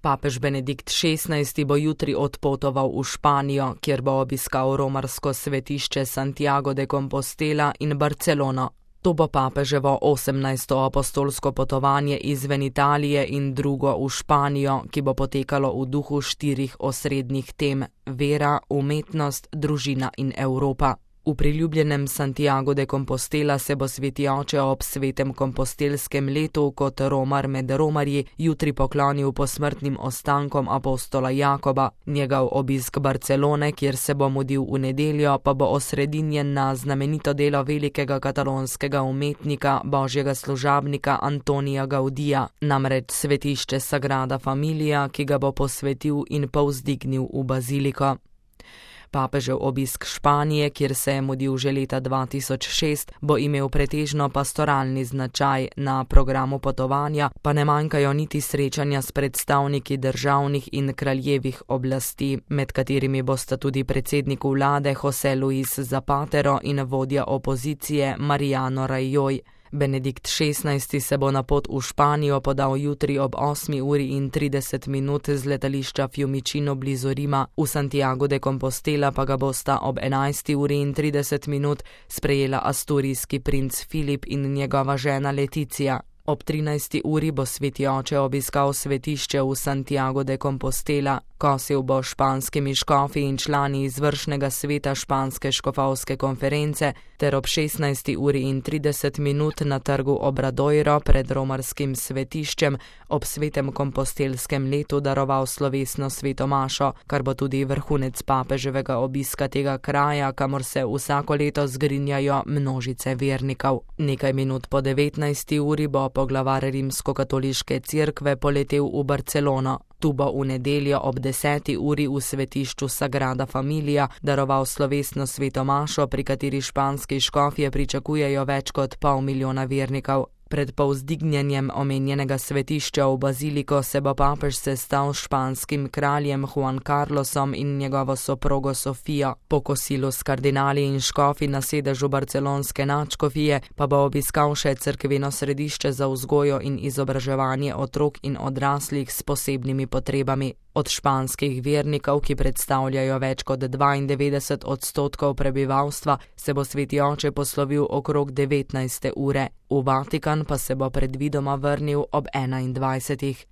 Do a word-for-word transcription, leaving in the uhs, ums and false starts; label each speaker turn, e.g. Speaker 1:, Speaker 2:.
Speaker 1: Papež Benedikt šestnajsti bo jutri odpotoval v Španijo, kjer bo obiskal romarsko svetišče Santiago de Compostela in Barcelono. To bo papeževo osemnajsto apostolsko potovanje izven Italije in drugo v Španijo, ki bo potekalo v duhu štirih osrednjih tem: vera, umetnost, družina in Evropa. V priljubljenem Santiago de Compostela se bo sveti oče ob svetem kompostelskem letu kot romar med romarji jutri poklonil posmrtnim ostankom apostola Jakoba. Njegov obisk Barcelone, kjer se bo mudil v nedeljo, pa bo osredinjen na znamenito delo velikega katalonskega umetnika, božjega služabnika Antonija Gaudija, namreč svetišče Sagrada Familia, ki ga bo posvetil in povzdignil v baziliko. Papežev obisk Španije, kjer se je mudil že leta dva tisoč šest, bo imel pretežno pastoralni značaj, na programu potovanja pa ne manjkajo niti srečanja s predstavniki državnih in kraljevih oblasti, med katerimi bosta tudi predsednik vlade José Luis Zapatero in vodja opozicije Mariano Rajoy. Benedikt šestnajsti se bo na pot v Španijo podal jutri ob osmi uri in trideset minut z letališča Fiumicino blizu Rima, v Santiago de Compostela pa ga bosta ob enajsti uri in trideset minut sprejela asturijski princ Filip in njegova žena Leticia. Ob trinajsti uri bo sveti oče obiskal svetišče v Santiago de Compostela, kosil bo španskimi škofi in člani izvršnega sveta španske škofovske konference ter ob šestnajsti uri in trideset minut na trgu Obradoiro pred romarskim svetiščem ob svetem kompostelskem letu daroval slovesno sveto mašo, kar bo tudi vrhunec papeževega obiska tega kraja, kamor se vsako leto zgrinjajo množice vernikov. Nekaj minut po devetnajsti uri bo poglavar rimskokatoliške cerkve poletel v Barcelono. Tu bo v nedeljo ob deseti uri v svetišču Sagrada Familia daroval slovesno sveto mašo, pri kateri španski škofje pričakujejo več kot pol milijona vernikov. Pred povzdignjenjem omenjenega svetišča v baziliko se bo papež sestal s španskim kraljem Juan Carlosom in njegovo soprogo Sofijo. Po kosilu s kardinali in škofi na sedežu barcelonske nadškofije pa bo obiskal še cerkveno središče za vzgojo in izobraževanje otrok in odraslih s posebnimi potrebami. Od španskih vernikov, ki predstavljajo več kot dvaindevetdeset odstotkov prebivalstva, se bo sveti oče poslovil okrog devetnajste ure. V Vatikan pa se bo predvidoma vrnil ob enaindvajsetih.